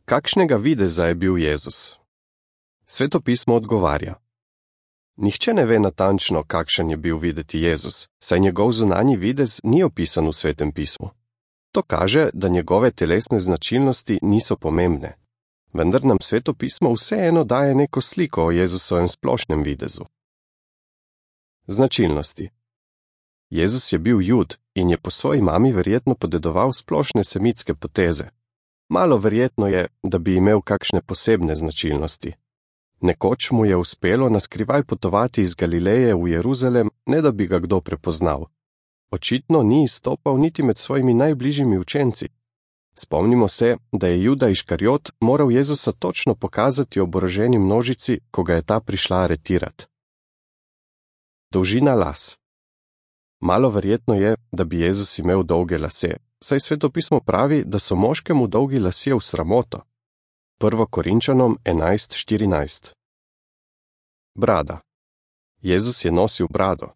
Kakšnega videza je bil Jezus? Sveto pismo odgovarja. Nihče ne ve natančno, kakšen je bil videti Jezus, saj njegov zunanji videz ni opisan v Svetem pismu. To kaže, da njegove telesne značilnosti niso pomembne. Vendar nam Sveto pismo vseeno daje neko sliko o Jezusovem splošnem videzu. Značilnosti. Jezus je bil Jud in je po svoji mami verjetno podedoval splošne semitske poteze. Malo verjetno je, da bi imel kakšne posebne značilnosti. Nekoč mu je uspelo naskrivaj potovati iz Galileje v Jeruzalem, ne da bi ga kdo prepoznal. Očitno ni izstopal niti med svojimi najbližjimi učenci. Spomnimo se, da je Juda Iškariot moral Jezusa točno pokazati oboroženi množici, ko ga je ta prišla aretirati. Dolžina las. Malo verjetno je, da bi Jezus imel dolge lase, saj Sveto pismo pravi, da so moškemu dolgi lasje v sramoto. 1. Korinčanom 11:14. Brada. Jezus je nosil brado.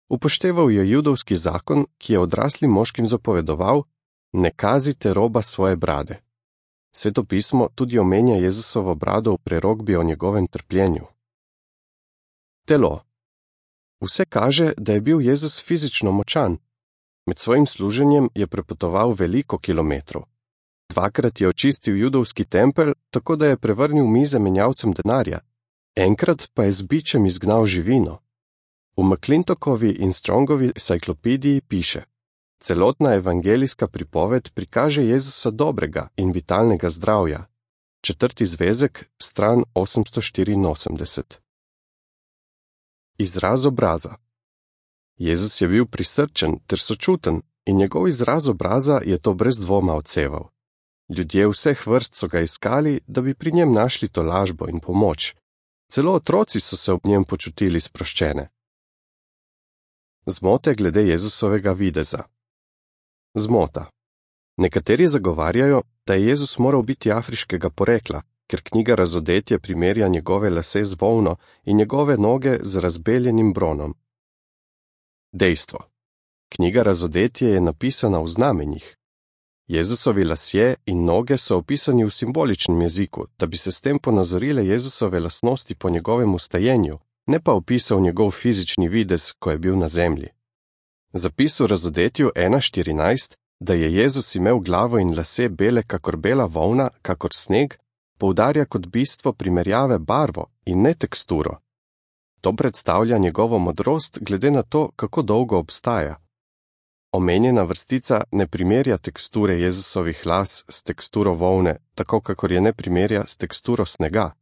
Upošteval je judovski zakon, ki je odraslim moškim zapovedoval: ne kazite roba svoje brade. Sveto pismo tudi omenja Jezusovo brado v prerokbi o njegovem trpljenju. Telo. Vse kaže, da je bil Jezus fizično močan. Med svojim služenjem je prepotoval veliko kilometrov. Dvakrat je očistil judovski tempelj, tako da je prevrnil mize menjavcem denarja. Enkrat pa je z bičem izgnal živino. V McClintokovi in Strongovi enciklopediji piše: celotna evangelijska pripoved prikaže Jezusa dobrega in vitalnega zdravja. 4. zvezek, stran 884. Izraz obraza. Jezus je bil prisrčen ter sočuten in njegov izraz obraza je to brez dvoma odseval. Ljudje vseh vrst so ga iskali, da bi pri njem našli tolažbo in pomoč. Celo otroci so se ob njem počutili sproščene. Zmote glede Jezusovega videza. Zmota. Nekateri zagovarjajo, da je Jezus moral biti afriškega porekla, ker knjiga Razodetje primerja njegove lase z volno in njegove noge z razbeljenim bronom. Dejstvo. Knjiga Razodetje je napisana v znamenjih. Jezusovi lasje in noge so opisani v simboličnem jeziku, da bi se s tem ponazorile Jezusove lastnosti po njegovem ustajenju, ne pa opisal njegov fizični videz, ko je bil na zemlji. Zapis v Razodetju 1.14, da je Jezus imel glavo in lase bele kakor bela volna, kakor sneg, poudarja kot bistvo primerjave barvo in ne teksturo. To predstavlja njegovo modrost glede na to, kako dolgo obstaja. Omenjena vrstica ne primerja teksture Jezusovih las s teksturo volne, tako kakor je ne primerja s teksturo snega.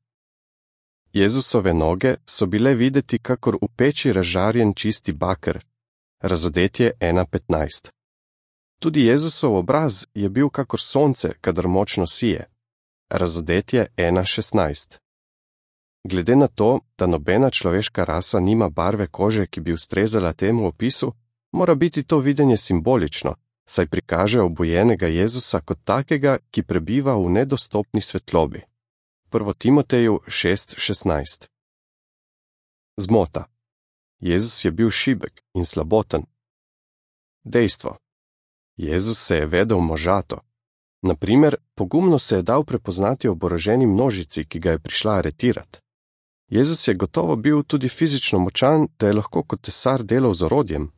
Jezusove noge so bile videti kakor v peči razžarjen čisti baker. Razodetje 1.15. Tudi Jezusov obraz je bil kakor sonce, kadar močno sije. Razodetje 1.16. Glede na to, da nobena človeška rasa nima barve kože, ki bi ustrezala temu opisu, mora biti to videnje simbolično, saj prikaže obujenega Jezusa kot takega, ki prebiva v nedostopni svetlobi. 1. Timoteju 6.16. Zmota. Jezus je bil šibek in slaboten. Dejstvo. Jezus se je vedel možato. Naprimer, pogumno se je dal prepoznati oboroženi množici, ki ga je prišla aretirati. Jezus je gotovo bil tudi fizično močan, da je lahko kot tesar delal z orodjem.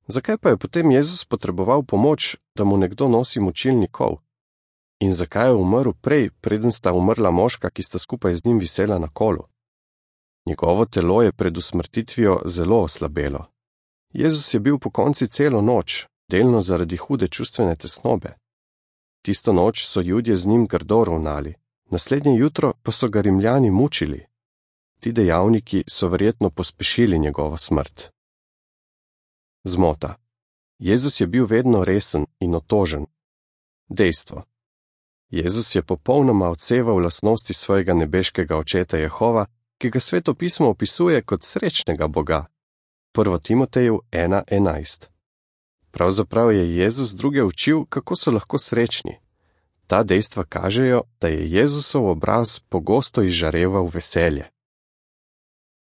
Zakaj pa je potem Jezus potreboval pomoč, da mu nekdo nosi močilni kol? In zakaj je umrl prej, preden sta umrla moška, ki sta skupaj z njim visela na kolu? Njegovo telo je pred usmrtitvijo zelo oslabelo. Jezus je bil pokonci celo noč, delno zaradi hude čustvene tesnobe. Tisto noč so Judje z njim grdo ravnali, naslednje jutro pa so ga Rimljani mučili. Ti dejavniki so verjetno pospešili njegovo smrt. Zmota. Jezus je bil vedno resen in otožen. Dejstvo. Jezus je popolnoma odseval lastnosti svojega nebeškega očeta Jehova, ki ga Sveto pismo opisuje kot srečnega Boga. 1. Timoteju 1.11. Pravzaprav je Jezus druge učil, kako so lahko srečni. Ta dejstva kažejo, da je Jezusov obraz pogosto izžareval veselje.